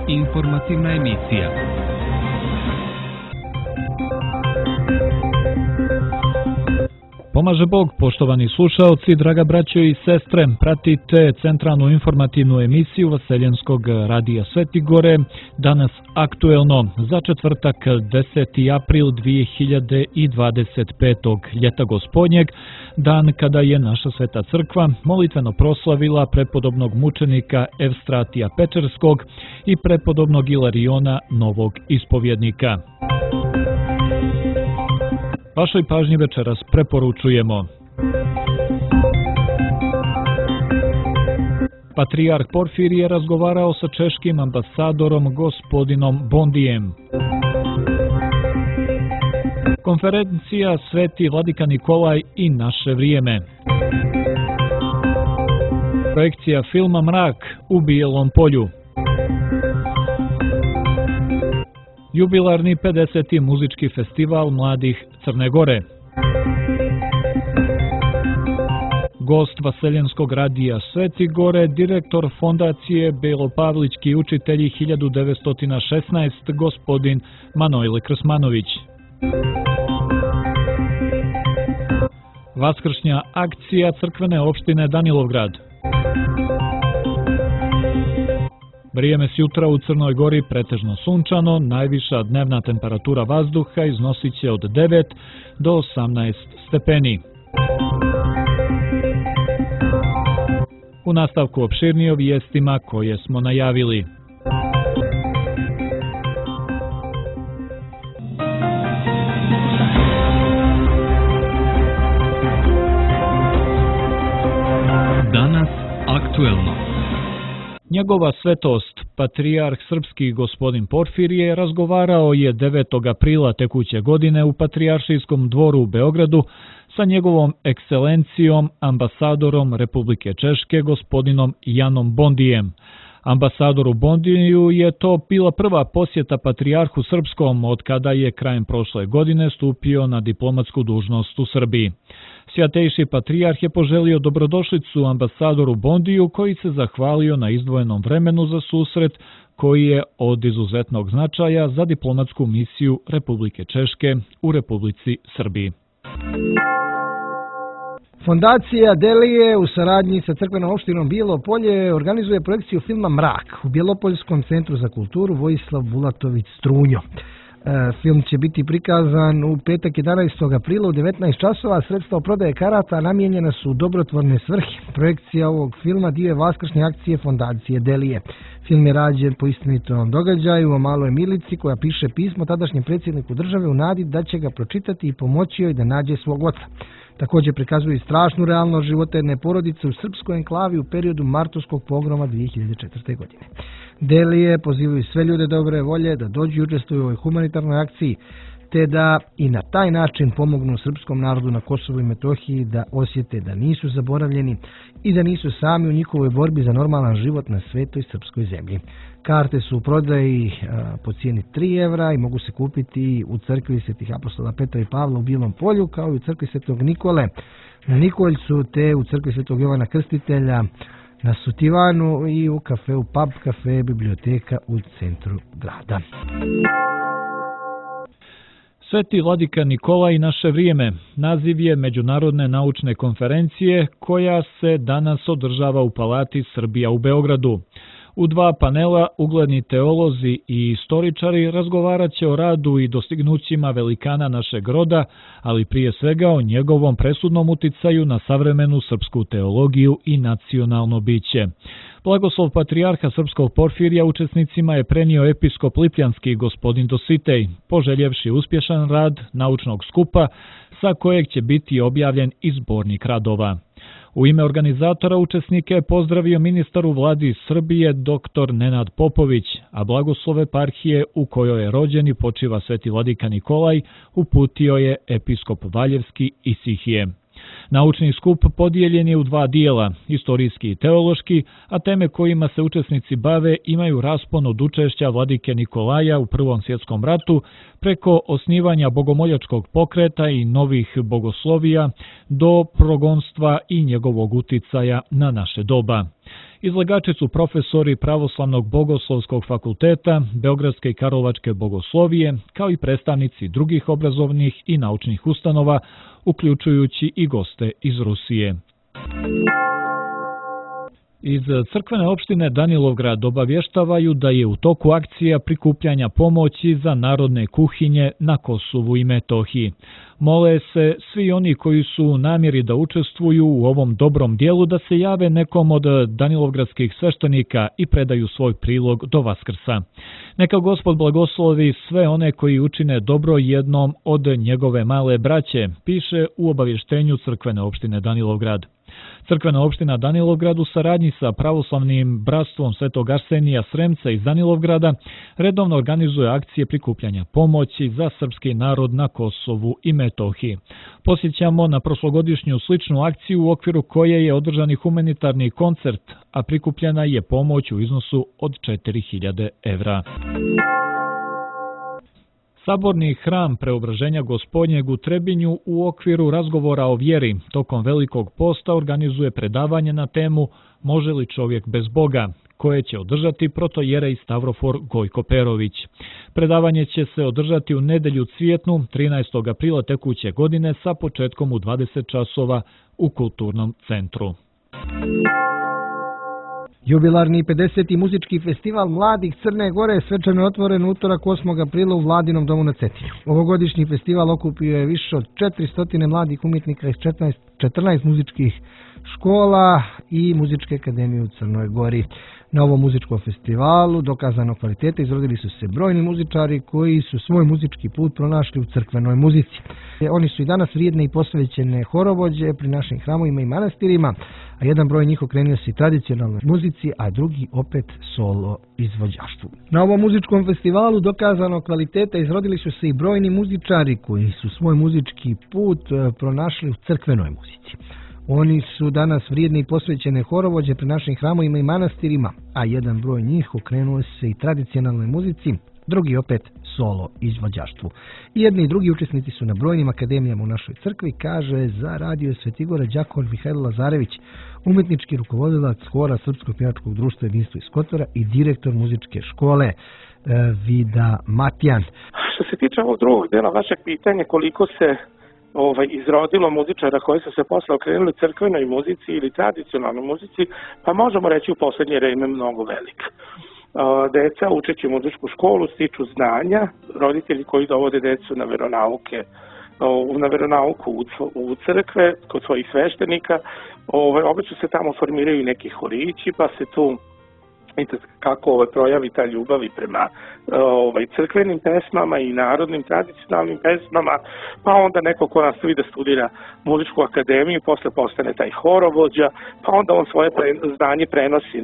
Informativna emisija. Pomaže Bog, poštovani slušaoci, draga braćo i sestre, pratite centralnu informativnu emisiju Vaseljenskog radija Sveti Gore, danas aktuelno za četvrtak 10. april 2025. ljeta gospodnjeg, dan kada je naša Sveta crkva molitveno proslavila prepodobnog mučenika Evstratija Pečerskog i prepodobnog Ilariona Novog ispovjednika. Vašoj pažnji večeras preporučujemo. Patrijarh Porfirije razgovarao sa češkim ambasadorom gospodinom Bondijem. Konferencija Sveti Vladika Nikolaj i naše vrijeme. Projekcija filma Mrak u Bijelom polju. Jubilarni 50. muzički festival mladih Crne Gore. Gost Vaseljenskog radija Sveti Gore, direktor fondacije Belopavlički učitelji 1916, gospodin Manojle Krsmanović. Vaskršnja akcija crkvene opštine Danilovgrad. Vrijeme s jutra u Crnoj Gori pretežno sunčano, najviša dnevna temperatura vazduha iznosit će od 9 do 18 stepeni. U nastavku opširnije o vijestima koje smo najavili. Danas aktuelno. Njegova svetost, patrijarh srpski gospodin Porfirije, razgovarao je 9. aprila tekuće godine u Patrijaršijskom dvoru u Beogradu sa njegovom ekscelencijom, ambasadorom Republike Češke, gospodinom Janom Bondijem. Ambasadoru Bondiju je to bila prva posjeta patrijarhu srpskom od kada je krajem prošle godine stupio na diplomatsku dužnost u Srbiji. Svjatejši patrijarh je poželio dobrodošlicu ambasadoru Bondiju, koji se zahvalio na izdvojenom vremenu za susret koji je od izuzetnog značaja za diplomatsku misiju Republike Češke u Republici Srbiji. Fondacija Delije u saradnji sa crkvenom opštinom Bijelo polje organizuje projekciju filma Mrak u Bjelopoljskom centru za kulturu Vojislav Bulatović Strunjo. Film će biti prikazan u petak 11. aprila u 19 časova. Sredstva prodaje karata namijenjena su u dobrotvorne svrhe. Projekcija ovog filma dio je vaskršnje akcije Fondacije Delije. Film je rađen po istinitom događaju o maloj Milici koja piše pismo tadašnjem predsjedniku države u nadi da će ga pročitati i pomoći joj da nađe svog oca. Također prikazuje strašnu realnost života jedne porodice u srpskoj enklavi u periodu martovskog pogroma 2004. godine. Delije pozivaju sve ljude dobre volje da dođu i učestvuju u ovoj humanitarnoj akciji, te da i na taj način pomognu srpskom narodu na Kosovu i Metohiji da osjete da nisu zaboravljeni i da nisu sami u njihovoj borbi za normalan život na svetoj srpskoj zemlji. Karte su u prodaji po cijeni 3 evra i mogu se kupiti u crkvi Svetih apostola Petra i Pavla u Bijelom polju, kao i u crkvi Svetog Nikole na Nikoljcu, te u crkvi Svetog Jovana Krstitelja na Sutivanu i u kafeu Pub Cafe biblioteka u centru grada. Sveti Vladika Nikolaj i naše vrijeme naziv je Međunarodne naučne konferencije koja se danas održava u Palati Srbija u Beogradu. U 2 panela ugledni teolozi i istoričari razgovarat će o radu i dostignućima velikana našeg roda, ali prije svega o njegovom presudnom uticaju na savremenu srpsku teologiju i nacionalno biće. Blagoslov patrijarha srpskog Porfirija učesnicima je prenio episkop Lipljanski gospodin Dositej, poželjevši uspješan rad naučnog skupa sa kojeg će biti objavljen i zbornik radova. U ime organizatora učesnike je pozdravio ministar u vladi Srbije dr. Nenad Popović, a blagoslov eparhije u kojoj je rođen i počiva Sveti Vladika Nikolaj uputio je episkop Valjevski Isihije. Naučni skup podijeljen je u 2 dijela, istorijski i teološki, a teme kojima se učesnici bave imaju raspon od učešća Vladike Nikolaja u Prvom svjetskom ratu preko osnivanja bogomoljačkog pokreta i novih bogoslovija do progonstva i njegovog uticaja na naše doba. Izlagači su profesori Pravoslavnog bogoslovskog fakulteta, Beogradske i Karlovačke bogoslovije, kao i predstavnici drugih obrazovnih i naučnih ustanova, uključujući i goste iz Rusije. Iz crkvene opštine Danilovgrad obavještavaju da je u toku akcija prikupljanja pomoći za narodne kuhinje na Kosovu i Metohiji. Mole se svi oni koji su u namjeri da učestvuju u ovom dobrom dijelu da se jave nekom od danilovgradskih sveštenika i predaju svoj prilog do Vaskrsa. Neka Gospod blagoslovi sve one koji učine dobro jednom od njegove male braće, piše u obavještenju crkvene opštine Danilovgrad. Crkvena opština Danilovgrad u saradnji sa Pravoslavnim bratstvom Svetog Arsenija Sremca iz Danilovgrada redovno organizuje akcije prikupljanja pomoći za srpski narod na Kosovu i Metohiji. Posjećamo na prošlogodišnju sličnu akciju u okviru koje je održan i humanitarni koncert, a prikupljena je pomoć u iznosu od 4.000 evra. Saborni hram Preobraženja Gospodnjeg u Trebinju u okviru razgovora o vjeri tokom Velikog posta organizuje predavanje na temu Može li čovjek bez Boga, koje će održati protojerej Stavrofor Gojko Perović. Predavanje će se održati u nedjelju Cvjetnu 13. aprila tekuće godine sa početkom u 20 časova u Kulturnom centru. Jubilarni 50. muzički festival Mladih Crne Gore svečano je otvoren utorak 8. aprila u Vladinom domu na Cetinju. Ovogodišnji festival okupio je više od 400 mladih umjetnika iz 14 muzičkih škola i Muzičke akademije u Crnoj Gori. Na ovom muzičkom festivalu dokazano kvalitete izrodili su se brojni muzičari koji su svoj muzički put pronašli u crkvenoj muzici. Oni su i danas vrijedne i posvećene horovođe pri našim hramovima i manastirima, a jedan broj njih okrenuo se i tradicionalnoj muzici, a drugi opet solo izvođaštvu. Na ovom muzičkom festivalu dokazano kvalitete izrodili su se i brojni muzičari koji su svoj muzički put pronašli u crkvenoj muzici. Oni su danas vrijedne i posvećene horovođe pri našim hramovima i manastirima, a jedan broj njih okrenuo se i tradicionalnoj muzici, drugi opet solo izvođaštvu. I jedni i drugi učesnici su na brojnim akademijama u našoj crkvi, kaže za Radio Svetigora đakon Mihajlo Lazarević, umjetnički rukovodilac hora Srpskog pjevačkog društva Jedinstvo iz Kotora i direktor muzičke škole Vida Matijan. Što se tiče ovog drugog dela vašeg pitanja, koliko se izrodilo muzičara koji su se posle okrenuli crkvenoj muzici ili tradicionalnoj muzici, pa možemo reći u posljednje vreme mnogo velika. Deca učeći muzičku školu stiču znanja, roditelji koji dovode decu na veronauku u crkve kod svojih sveštenika, obično se tamo formiraju neki horići, pa se tu kako projavi ta ljubav i prema crkvenim pesmama i narodnim tradicionalnim pesmama, pa onda neko ko nastavi da studira muzičku akademiju, posle postane taj horovođa, pa onda on svoje znanje prenosi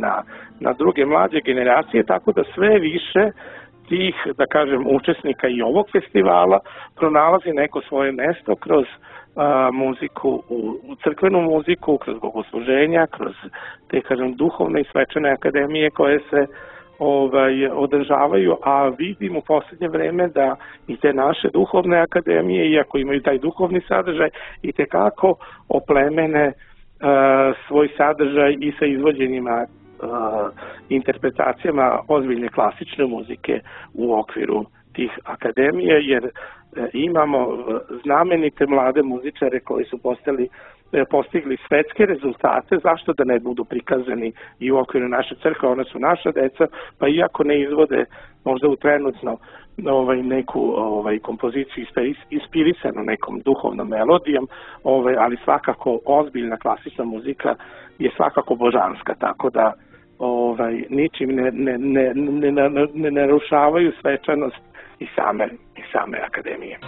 na druge mlađe generacije, tako da sve više tih, da kažem, učesnika i ovog festivala pronalazi neko svoje mesto kroz muziku, u crkvenu muziku, kroz bogosluženja, kroz te, kažem, duhovne i svečane akademije koje se održavaju, a vidim u posljednje vreme da i te naše duhovne akademije, iako imaju taj duhovni sadržaj, i tekako oplemene svoj sadržaj i sa izvođenjima interpretacijama ozbiljne klasične muzike u okviru tih akademije, jer imamo znamenite mlade muzičare koji su postigli svetske rezultate, zašto da ne budu prikazani i u okviru naše crkve, one su naša deca, pa iako ne izvode možda u trenutno neku kompoziciju inspirisanu nekom duhovnom melodijom, ali svakako ozbiljna klasična muzika je svakako božanska, tako da ničim ne narušavaju svečanost i same akademije.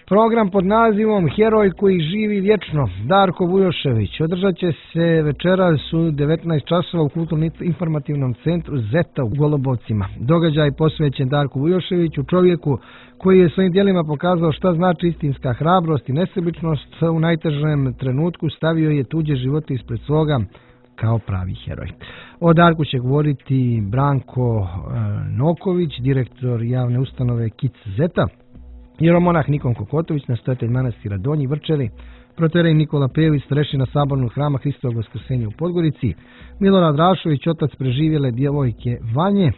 Program pod nazivom Heroj koji živi vječno, Darko Vujošević, održat će se večeras u 19 časova u kulturno-informativnom centru Zeta u Golubovcima. Događaj posvećen Darku Vujoševiću, čovjeku koji je svojim djelima pokazao šta znači istinska hrabrost i nesebičnost, u najtežem trenutku stavio je tuđe živote ispred svoga kao pravi heroj. O Darku će govoriti Branko Noković, direktor javne ustanove KIC Zeta, jeromonah Nikon Kokotović, nastojatelj manastira Donji Vrčeli, proterej Nikola Pejović, starešina Sabornog hrama Hristovog Vaskrsenja u Podgorici, Milorad Rašović, otac preživjele djevojke Vanje,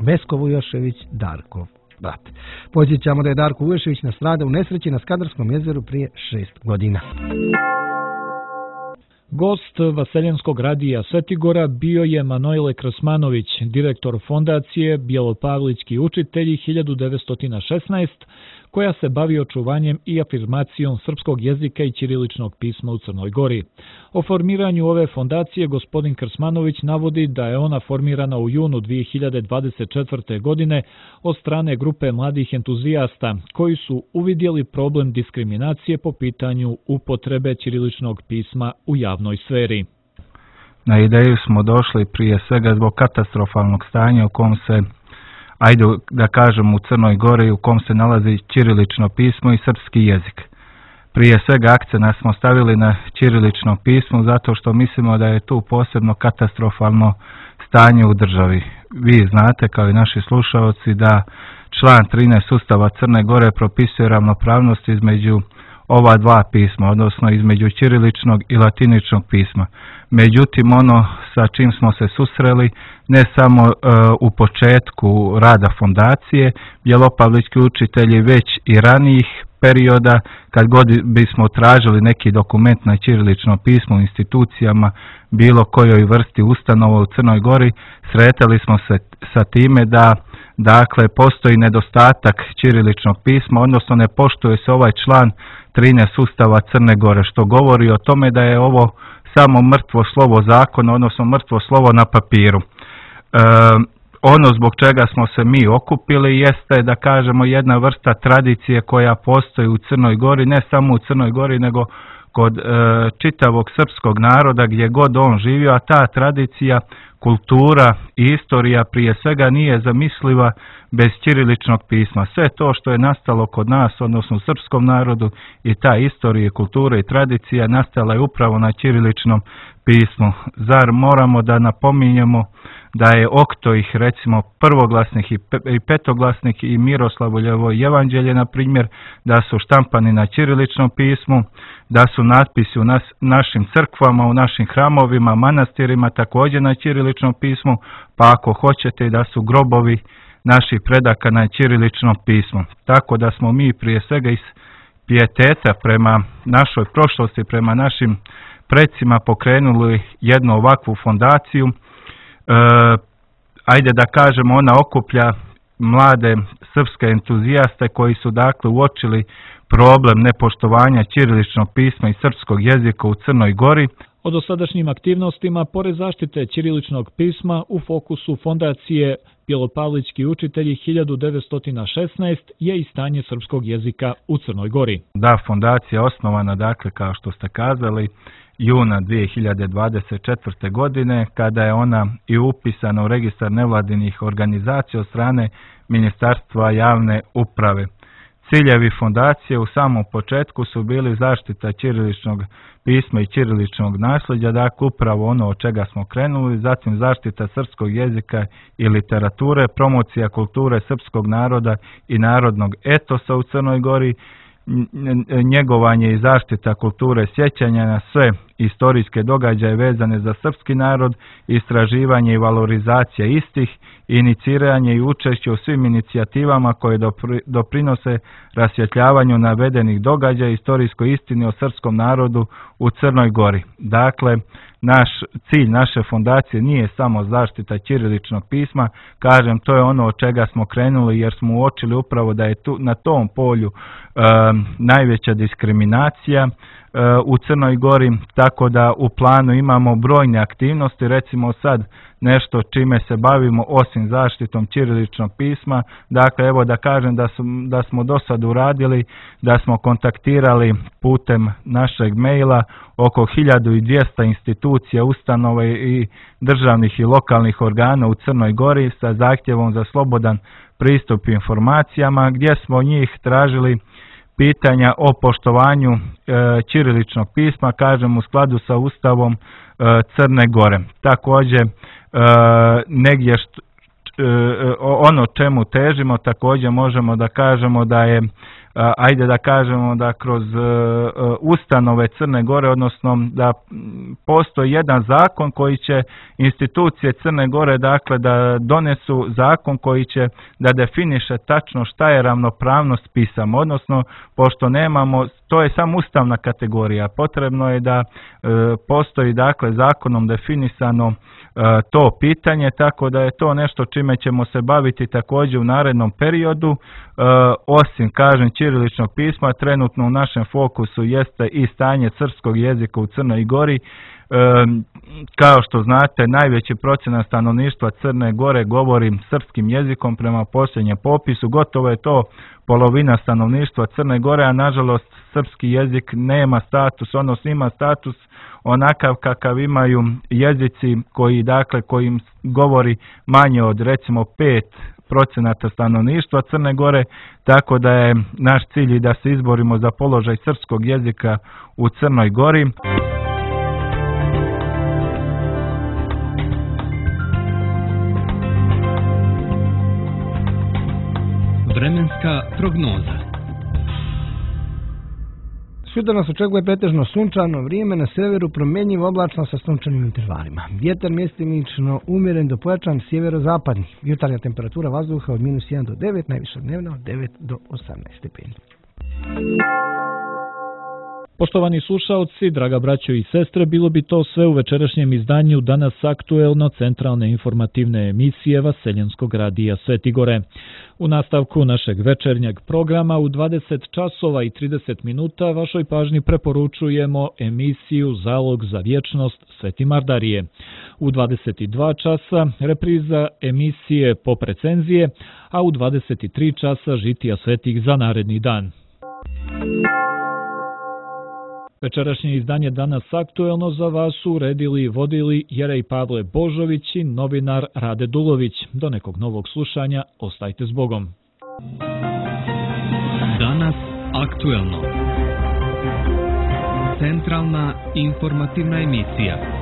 Vesko Vujošević, Darkov brat. Podsjećamo da je Darko Vujošević nastradao u nesreći na Skadarskom jezeru prije 6 godina. Gost Vaseljenskog radija Svetigora bio je Manojle Krasmanović, direktor fondacije Bjelopavlički učitelji 1916, koja se bavi očuvanjem i afirmacijom srpskog jezika i ćiriličnog pisma u Crnoj Gori. O formiranju ove fondacije gospodin Krsmanović navodi da je ona formirana u junu 2024. godine od strane grupe mladih entuzijasta koji su uvidjeli problem diskriminacije po pitanju upotrebe ćiriličnog pisma u javnoj sferi. Na ideju smo došli prije svega zbog katastrofalnog stanja u kom se, ajde da kažem, u Crnoj Gori, u kom se nalazi ćirilično pismo i srpski jezik. Prije svega akcent smo stavili na ćirilično pismo zato što mislimo da je tu posebno katastrofalno stanje u državi. Vi znate, kao i naši slušalci, da član 13 Ustava Crne Gore propisuje ravnopravnost između ova dva pisma, odnosno između ćiriličnog i latiničnog pisma. Međutim, ono sa čim smo se susreli, ne samo u početku rada fondacije Bjelopavlički učitelji, već i ranijih perioda, kad god bismo tražili neki dokument na ćirilično pismo u institucijama, bilo kojoj vrsti ustanova u Crnoj Gori, sretali smo se sa time da postoji nedostatak ćiriličnog pisma, odnosno ne poštuje se ovaj član 13 Ustava Crne Gore, što govori o tome da je ovo samo mrtvo slovo zakona, odnosno mrtvo slovo na papiru. Ono zbog čega smo se mi okupili jeste, da kažemo, jedna vrsta tradicije koja postoji u Crnoj Gori, ne samo u Crnoj Gori, nego kod čitavog srpskog naroda gdje god on živio, a ta tradicija, kultura i istorija prije svega nije zamisliva bez ćiriličnog pisma. Sve to što je nastalo kod nas, odnosno u srpskom narodu, i ta istorija, kultura i tradicija nastala je upravo na ćiriličnom pismu. Zar moramo da napominjemo da je Oktoih, recimo prvoglasnih i petoglasnih i Miroslavljevo evanđelje, na primjer, da su štampani na ćiriličnom pismu, da su natpisi u našim crkvama, u našim hramovima, manastirima također na ćiriličnom pismu, pa ako hoćete da su grobovi naših predaka na ćiriličnom pismu. Tako da smo mi prije svega iz pijeteta prema našoj prošlosti, prema našim predsima pokrenuli jednu ovakvu fondaciju. Ajde da kažemo, ona okuplja mlade srpske entuzijaste koji su dakle uočili problem nepoštovanja ćiriličnog pisma i srpskog jezika u Crnoj Gori. O dosadašnjim aktivnostima, pored zaštite ćiriličnog pisma, u fokusu fondacije Bjelopavlički učitelji 1916 je i stanje srpskog jezika u Crnoj Gori. Da, fondacija osnovana, dakle, kao što ste kazali, juna 2024. godine, kada je ona i upisana u registar nevladinih organizacija od strane Ministarstva javne uprave. Ciljevi fondacije u samom početku su bili zaštita ćiriličnog pisma i ćiriličnog nasljeđa, dakle upravo ono od čega smo krenuli, zatim zaštita srpskog jezika i literature, promocija kulture srpskog naroda i narodnog etosa u Crnoj Gori, njegovanje i zaštita kulture sjećanja na sve istorijske događaje vezane za srpski narod, istraživanje i valorizacija istih, iniciranje i učešće u svim inicijativama koje doprinose rasvjetljavanju navedenih događaja i istorijskoj istini o srpskom narodu u Crnoj Gori. Dakle, cilj naše fondacije nije samo zaštita ćiriličnog pisma, kažem, to je ono od čega smo krenuli jer smo uočili upravo da je na tom polju najveća diskriminacija u Crnoj Gori, tako da u planu imamo brojne aktivnosti, recimo sad nešto čime se bavimo osim zaštitom ćiriličnog pisma. Dakle, evo da kažem da smo do sad uradili, da smo kontaktirali putem našeg maila oko 1200 institucija, ustanova i državnih i lokalnih organa u Crnoj Gori sa zahtjevom za slobodan pristup informacijama, gdje smo njih tražili pitanja o poštovanju ćiriličnog pisma, kažem, u skladu sa Ustavom Crne Gore. Također, negdje ono čemu težimo, također možemo da kažemo da je ajde da kažemo da kroz ustanove Crne Gore, odnosno da postoji jedan zakon koji će institucije Crne Gore, dakle da donesu zakon koji će da definiše tačno šta je ravnopravnost pisama, odnosno pošto nemamo, to je samo ustavna kategorija, potrebno je da postoji dakle zakonom definisano to pitanje, tako da je to nešto čime ćemo se baviti također u narednom periodu. Osim, kažem, ćiriličnog pisma, trenutno u našem fokusu jeste i stanje srpskog jezika u Crnoj Gori. Kao što znate, najveći procenat stanovništva Crne Gore govori srpskim jezikom prema posljednjem popisu, gotovo je to polovina stanovništva Crne Gore, a nažalost srpski jezik nema status, odnosno ima status onakav kakav imaju jezici kojim govori manje od recimo 5% stanovništva Crne Gore, tako da je naš cilj da se izborimo za položaj srpskog jezika u Crnoj Gori. Vremenska prognoza. Sutra nas očekuje pretežno sunčano vrijeme, na severu promjenjivo oblačno sa sunčanim intervalima. Vjetar mjestimično umjeren do pojačan sjeverozapadni. Jutarnja temperatura vazduha od -1 do 9, najviša dnevna od 9 do 18 stepeni. Poštovani slušaoci, draga braćo i sestre, bilo bi to sve u večerašnjem izdanju Danas aktuelno centralne informativne emisije Vaseljenskog radija Sveti Gore. U nastavku našeg večernjeg programa u 20 časova i 30 minuta vašoj pažnji preporučujemo emisiju Zalog za vječnost Sveti Mardarije. U 22 časa repriza emisije Pop recenzije, a u 23 časa žitija svetih za naredni dan. Večerašnje izdanje Danas aktuelno za vas su uredili i vodili Jerej Pavle Božović i novinar Rade Dulović. Do nekog novog slušanja, ostajte s Bogom. Danas aktuelno. Centralna informativna emisija.